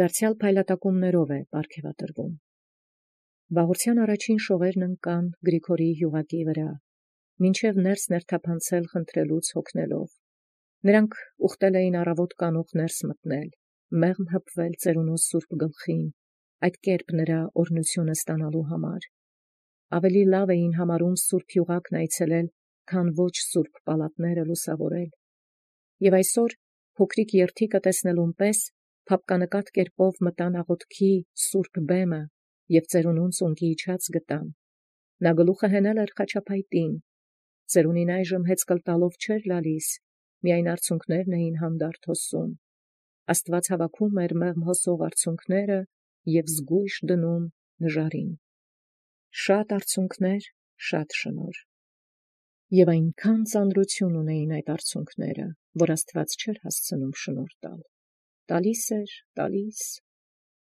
Դարձյալ փայլատակումներով է պարգևատրվում։ Վաղորդյան առաջին շողերն ընկան Գրիգորի յուղակի վրա, մինչև ներս ներթափանցել խնդրելուց հոգնելով։ Նրանք ուխտել էին առավոտ կանուխ ներս մտնել, մեղմ հպվել ծերունու սուրբ գլխին, այդ կերպ նրա օրհնությունը ստանալու համար։ Ավելի լավ էին համարում սուրբ յուղակն այցելել, քան ոչ սուրբ պալատները լուսավորել։ Եվ այսօր փոքրիկ երթիկը տեսնելուն պես փապկանկատ կերպով մտան աղոթքի սուրբ բեմը և ծերունուն ծունկի իջած գտան։ Նա գլուխը հենել էր խաչապայտին, ծերունին այժմ հեծկլ տալով չէր լալիս, միայն արցունքներն էին հանդարտ հոսում։ Աստված հավաքում էր մեղմ հոսող արցունքները և զգույշ դնում նժարին։ Շատ արցունքներ, շատ շնորհ։ Եվ այնքան ծանրություն ունեին այդ արցունքները, որ Աստված չէր հասցնում շնորհ տալ։ Տալիս էր, տալիս։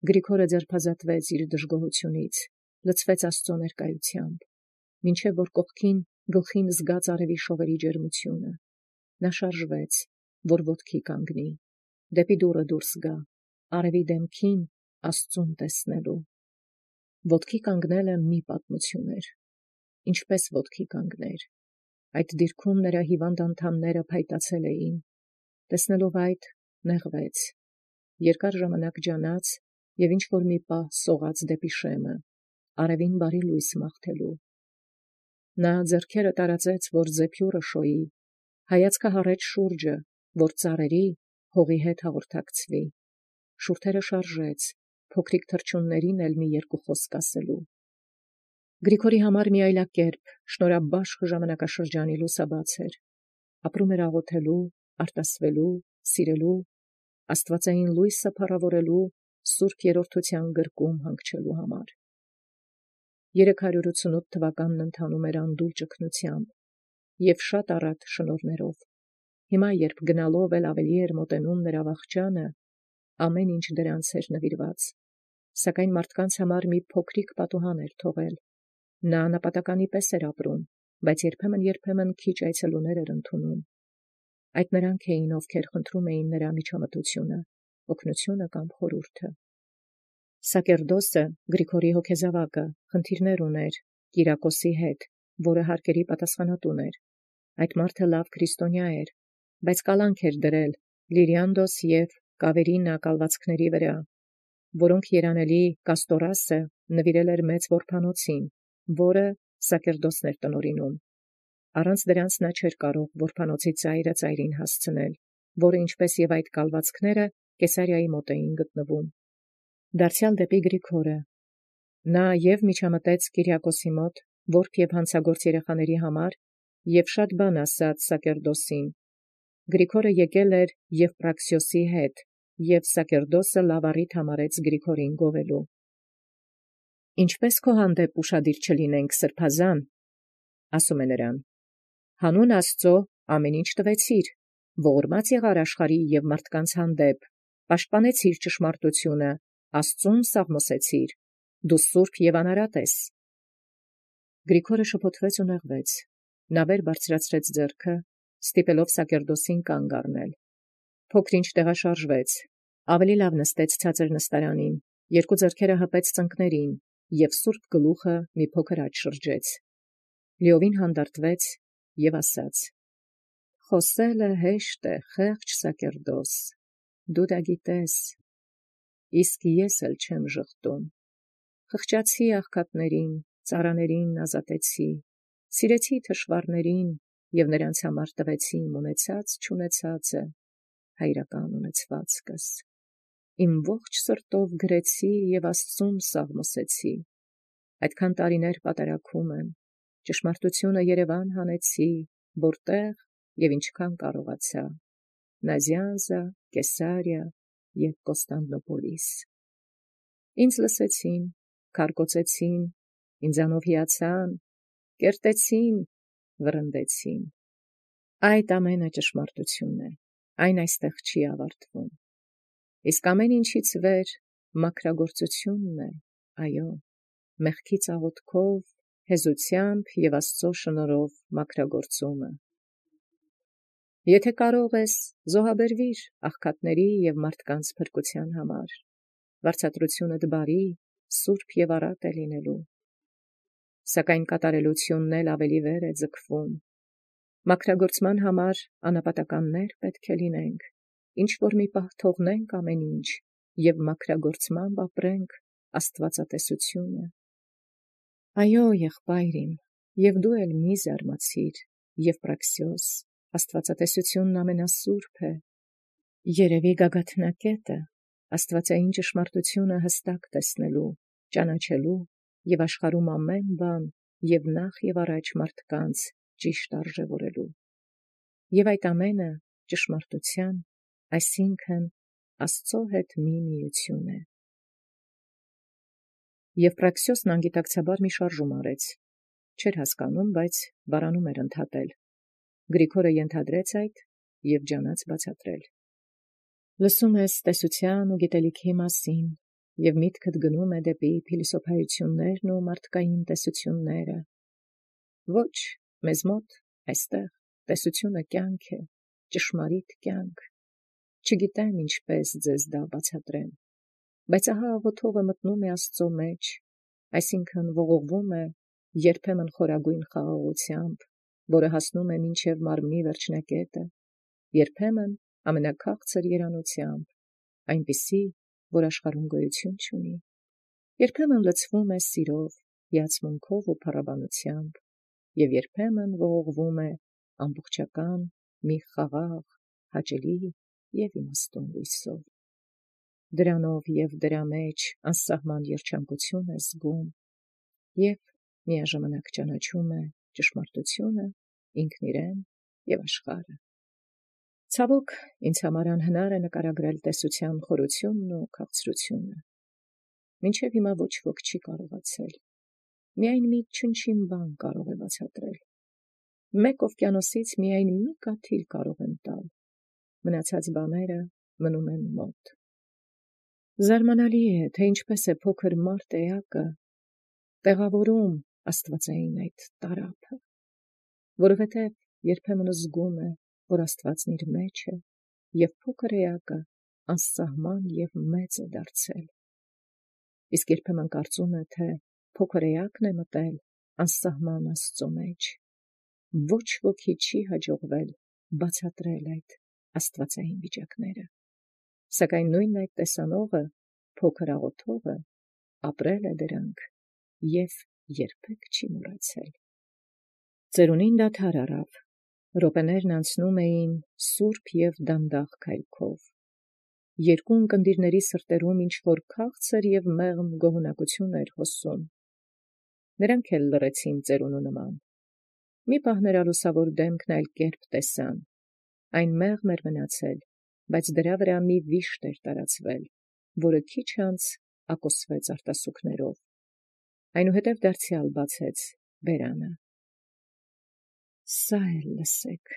Գրիգորը ձերբազատվեց իր դժգոհությունից, լցվեց Աստծո ներկայությամբ, մինչև որ կողքին գլխին զգաց արևի շողերի ջերմությունը։ Նա շարժվեց, որ ոտքի կանգնի, դեպի դուռը դուրս գա, արևի դեմքին Աստծուն տեսնելու։ Ոտքի կանգնելը մի պատմություն էր։ Ինչպես ոտքի կանգներ։ Այդ դիրքում նրա հիվանդ անդամները փայտացել էին։ Տեսնելով այդ, նեղվեց, երկար ժամանակ ջանաց և ինչ-որ մի պահ սողաց դեպի շեմը, արևին բարի լույս մաղթելու։ Նա ձեռքերը տարածեց, որ զեփյուռը շոյի, հայացքը հառեց շուրջը, որ ծառերի հողի հետ հաղորդակցվի, շուրթերը շարժեց, փոքրիկ թռչուններին էլ մի երկու խոսք ասելու։ Գրիգորի համար մի այլակերպ, շնորհաբաշխ ժամանակաշրջանի լուսաբաց էր, ապրում էր աղոթելու, արտասվելու, սիրելու, աստվածային լույսը փառավորելու, սուրբ երրորդության գրկում հանգչելու համար։ 388 թվականն ընթանում էր անդուլ ճգնությամբ և շատ առատ շնորհներով։ Հիմա, երբ գնալով էլ ավելի էր մոտենում նրա վախճանը, ամեն ինչ դրանց էր նվիրված, սակայն մարդկանց համար մի փոքրիկ պատուհան էր թողել։ Նա նապատականի պես էր ապրում, բայց երբեմն քիչ այցելուներ էր ընդունում։ Այդ նրանք էին, ովքեր խնդրում էին նրա միջամտությունը, օգնությունը կամ խորհուրդը։ Սակերդոսը, Գրիգորի հոգեզավակը, խնդիրներ ուներ Կիրակոսի հետ, որը հարկերի պատասխանատուն էր։ Այդ մարդը լավ քրիստոնյա էր, բայց կալանք էր դրել Լիրիանդոս և Կավերինա կալվածքների վրա, որոնք երանելի Կաստորասը նվիրել էր մեծ որբանոցին, որը Սակերդոսն էր տնօրինում։ Առանց դրանց նա չէր կարող որբանոցի ծայրը ծայրին հասցնել, որը ինչպես և այդ կալվածքները Կեսարիայի մոտ էին գտնվում։ Դարձյալ դեպի Գրիգորը։ Նա և միջամտեց Կիրիակոսի մոտ, որբ և հանցագործ երեխաների համար, և շատ բան ասաց Սակերդոսին։ Գրիգորը եկել էր Եվպրաքսիոսի հետ, և Սակերդոսը լավ առիթ համարեց Գրիգորին գովելու։ Ինչպես քո հանդեպ ուշադիր չլինենք, սրբազան, ասում է նրան, հանուն Աստծո ամեն ինչ տվեցիր, ողորմած եղար աշխարհի և մարդկանց հանդեպ, պաշտպանեցիր ճշմարտությունը, Աստծուն սաղմոսեցիր, դու սուրբ և անարատ ես։ Գրիգորը շփոթվեց ու նեղվեց, նա վեր բարձրացրեց ձեռքը, ստիպելով Սակերդոսին կանգ առնել։ Փոքր-ինչ տեղաշարժվեց, ավելի լավ նստեց ցածր նստարանին, երկու ձեռքերը հպեց ծնկներին և սուրբ գլուխը մի փոքր աջ շրջեց։ Լիովին հանդարտվեց և ասաց. «Խոսելը հեշտ է, խեղճ Սակերդոս, դու դա գիտես, իսկ ես էլ չեմ ժխտում։ Խղճացի աղքատներին, ծառաներին ազատեցի, սիրեցի թշվառներին և նրանց համար տվեցի իմ ունեցած-չունեցածը, հայրական ունեցվածքս։ Իմ ողջ սրտով գրեցի և Աստծուն սաղմոսեցի։ Այդքան տարիներ պատարագում եմ, ճշմարտությունը երևան հանեցի, որտեղ և ինչքան կարողացա, Նազյանզա, Կեսարիա և Կոստանդնոպոլիս։ Ինձ լսեցին, քարկոծեցին, ինձանով հիացան, կերտեցին, վռնդեցին։ Այդ ամենը ճշմարտություն է, այն այստեղ չի ավարտվում։ Իսկ ամեն ինչից վեր մաքրագործությունն է, այո, մեղքի ծաղոտքով, հեզությամբ և Աստծո շնորհով մաքրագործումը։ Եթե կարող ես, զոհաբերվիր աղքատների և մարդկանց փրկության համար, վարձատրությունը դբարի, սուրբ եւ առատ է լինելու։ Սակայն կատարելությունն էլ ավելի վեր է ձգվում։ Մաքրագործման համար անապատականներ պետք է լինենք, ինչ որ մի պահ թողնենք ամեն ինչ եւ մաքրագործմամբ ապրենք աստվածատեսությունը։ Այո, եղբայր իմ, եւ դու էլ մի զարմացիր, Եվպրաքսիոս, աստվածատեսությունն ամենասուրբ է, երևի գագաթնակետը, աստվածային ճշմարտությունը հստակ տեսնելու, ճանաչելու եւ աշխարհում ամեն բան եւ նախ եւ առաջ մարդկանց ճիշտ արժևորելու։ Եվ այդ ամենը ճշմարտության, այսինքն Աստծո հետ մի միություն է։ Եվպրաքսիոսն անգիտակցաբար մի շարժում արեց, չէր հասկանում, բայց բարանում էր ընդհատել։ Գրիգորը ենթադրեց այդ եւ ջանաց բացատրել։ Լսում ես տեսության ու գիտելիքի մասին, եւ միտքդ գնում է դեպի փիլիսոփայություններն ու մարդկային տեսությունները։ Ոչ, մեզ մոտ այստեղ տեսությունը կյանք է, ճշմարիտ կյանք։ Չգիտեմ ինչպես ձեզ դա բացատրեմ, բայց ահա աղոթողը մտնում է Աստծո մեջ, այսինքն ողողվում է երբեմն խորագույն խաղաղությամբ, որը հասնում է մինչև մարմնի վերջնակետը, երբեմն ամենաքաղցր երանությամբ, այնպիսի, որ աշխարհում գոյություն չունի, երբեմն լցվում է սիրով, հիացմունքով ու փառաբանությամբ, եւ երբեմն ողողվում է ամբողջական մի խաղաղ, հաճելի եւ իմաստուն լույսով։ Դրանով եւ դրա մեջ անսահման երջանկություն է զգում եւ միաժամանակ ճանաչում է ճշմարտությունը, ինքն իրեն եւ աշխարհը։ Ցավոք, ինձ համար անհնար է նկարագրել տեսության խորությունն ու քաղցրությունը։ Մինչև հիմա ոչ ոք չի կարողացել։ Միայն մի չնչին բան կարող է բացատրել։ Մեկ օվկիանոսից միայն մի կաթիլ կարող են տալ։ Մնացած բաները մնում են մոտ։ Զարմանալի է, թե ինչպես է փոքր մարդ էակը տեղավորում աստվածային այդ տարափը, որովհետև երբեմն զգում է, որ Աստվածն իր մեջ է, եւ փոքր էակը անսահման եւ մեծ է դարձել։ Իսկ երբեմն կարծում է, թե փոքր էակն է մտել անսահման Աստծո մեջ։ Ոչ ոքի չի հաջողվել բացատրել այդ աստվածային վիճակները։ Սակայն նույն այդ տեսանողը, փոքր աղոթողը, ապրել է դրանք եւ երբեք չի մոռացել։ Ծերունին դադար առավ, րոպեներն անցնում էին սուրբ եւ դանդաղ քայլքով։ Երկու ընկնդիրների սրտերում ինչ-որ քաղցր եւ մեղմ գոհունակություն էր հոսում։ Նրանք էլ լռեցին ծերունու նման։ Մի պահ նրա լուսավոր դեմքն այլ կերպ տեսան։ Այն մեղմ էր մնացել, բայց դրա վրա մի վիշտ էր տարածվել, որը քիչ անց ակոսվեց արտասուքներով։ Այնուհետև դարձյալ բացեց բերանը։ Սա էլ լսեք,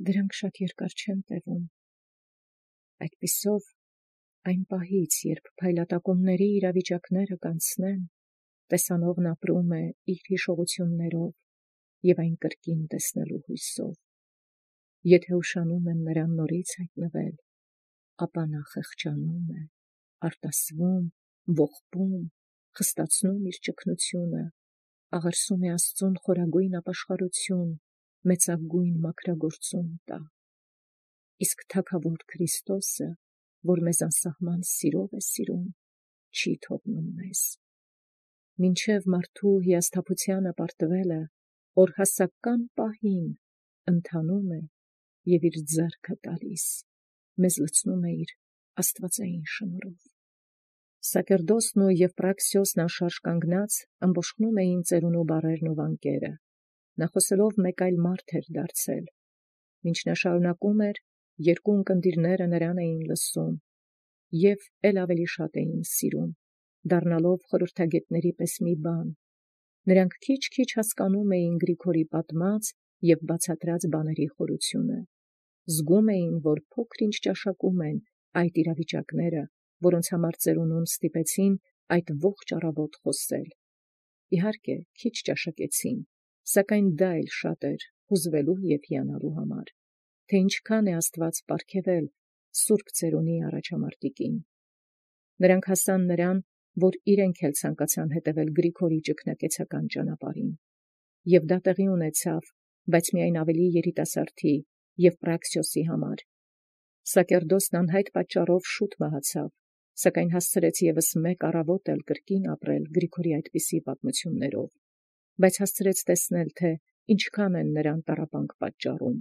դրանք շատ երկար չեն տևում։ Այդպիսով այն պահից, երբ փայլատակումների իրավիճակները կանցնեն, տեսանողն ապրում է իր հիշողություններով եւ այն կրկին տեսնելու հույսով։ Եթե ուշանում են նրան նորից հայտնվել, ապա նա խղճանում է, արտասվում, ողբում, խստացնում իր ճկնությունը, աղերսում է Աստծուն խորագույն ապաշխարություն, մեծագույն մաքրագործում տա։ Իսկ թագավոր Քրիստոսը, որ մեզ անսահման սիրով է սիրում, չի թողնում մեզ։ Մինչև մարդու հիասթափությանը պարտվելը, օրհասական պահին ընթանում է եւ իր ձեռքը տալիս, մեզ լցնում է իր աստվածային շնորհով։ Սակերդոսն ու Եվպրաքսիոսն անշարժ կանգնած ըմբոշխնում էին ծերունու բառերն ու վանկերը։ Նա խոսելով մեկ այլ մարդ էր դարձել։ Մինչ նա շարունակում էր, երկու ընկնդիրները նրան էին լսում եւ ել ավելի շատ էին սիրում, դառնալով խորհրդագետների պես մի բան։ Նրանք քիչ-քիչ հասկանում էին Գրիգորի պատմած եւ բացատրած բաների խորությունը։ Զգում էին, որ փոքր-ինչ ճաշակում են այդ իրավիճակները, որոնց համար ծերունուն ստիպեցին այդ ողջ առավոտ խոսել։ Իհարկե, քիչ ճաշակեցին, սակայն դա էլ շատ էր հուզվելու եւ հիանալու համար, թե ինչքան է Աստված պարգևել Սուրբ Ծերունի առաջամարտիկին։ Նրանք հասան նրան, որ իրենք էլ ցանկացան հետևել Գրիգորի ճգնակեցական ճանապարհին։ Եւ դա տեղի ունեցավ, բայց միայն ավելի երիտասարդի եւ Պրաքսիոսի համար։ Սակերդոսն անհայտ պատճառով շուտ մահացավ, սակայն հասցրեց եւս մեկ առավոտ էլ կրկին ապրել Գրիգորի այդպիսի պատմություններով, բայց հասցրեց տեսնել, թե ինչքան են նրան տառապանք պատճառում,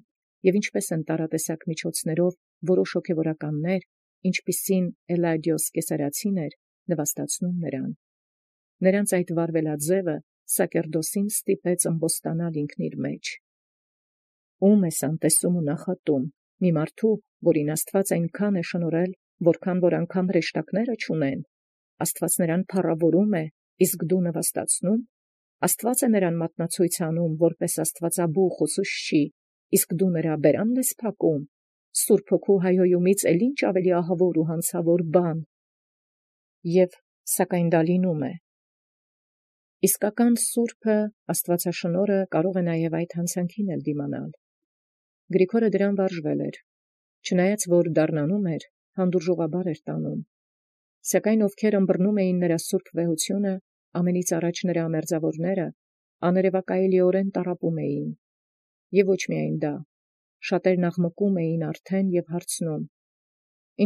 եւ ինչպես են տարատեսակ միջոցներով որոշ հոգևորականներ, ինչպիսին Էլադիոս Կեսարացին էր, նվաստացնում նրան։ Նրանց այդ վարվելաձևը Սակերդոսին ստիպեց ըմբոստանալ ինքն իր մեջ։ Ում ես անտեսում ու նախատում, մի մարդու, որին Աստված այնքան է շնորհել, որքան որ անգամ հրեշտակները չունեն, Աստված նրան փառավորում է, իսկ դու նվաստացնում, Աստված է նրան մատնացույց անում, որպես Աստվածաբուխ ուսուցչի, իսկ դու նրա բերանն ես փակում, Սուրբ Հոգու հայհոյումից էլ ինչ ավելի ահավոր ու հանցավոր բան։ Եվ սակայն դա լինում է։ Իսկական Սուրբը Աստվածաշնորհը կարող է նաև այդ հանցանքին էլ դիմանալ։ Գրիգորը դրան վարժվել էր, չնայած որ դառնանում էր, հանդուրժողաբար էր տանում։ Սակայն ովքեր ըմբռնում էին նրա սուրբ վեհությունը, ամենից առաջ նրա ամերձավորները, աներևակայելիորեն տառապում էին։ Եվ ոչ միայն դա, շատերն աղմկում էին արդեն եւ հարցնում.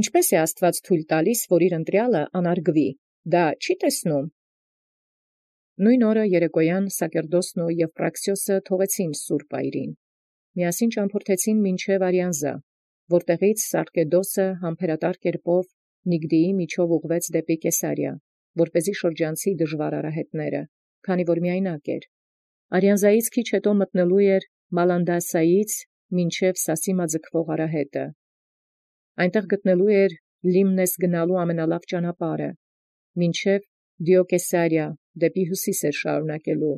Ինչպես է Աստված թույլ տալիս, որ իր ընտրյալը անարգվի, դա չի տեսնում։ Նույն օրը երեկոյան Սակերդոսն եւ Պրաքսիոսը թողեցին Սուրբ Այրին։ Միասին ճամփորդեցին մինչև Արիանզա, որտեղից Սարկեդոսը համբերատար կերպով Նիգդիի միջով ուղղվեց դեպի Կեսարիա, որպեսզի շրջանցի դժվար արահետները, քանի որ միայնակ էր։ Արիանզայից քիչ հետո մտնելու էր Մալանդասայից մինչև Սասիմա ձգվող արահետը։ Այնտեղ գտնելու էր Լիմնես գնալու ամենալավ ճանապարհը, մինչև Դիոկեսարիա դեպի հյուսիս էր շարունակելու։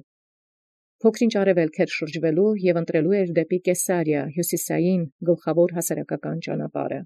Փոքրինչ արևելք էր շրջվելու եւ ընտրելու էր դեպի Կեսարիա հյուսիսային գլխավոր հասարակական ճանապարհը։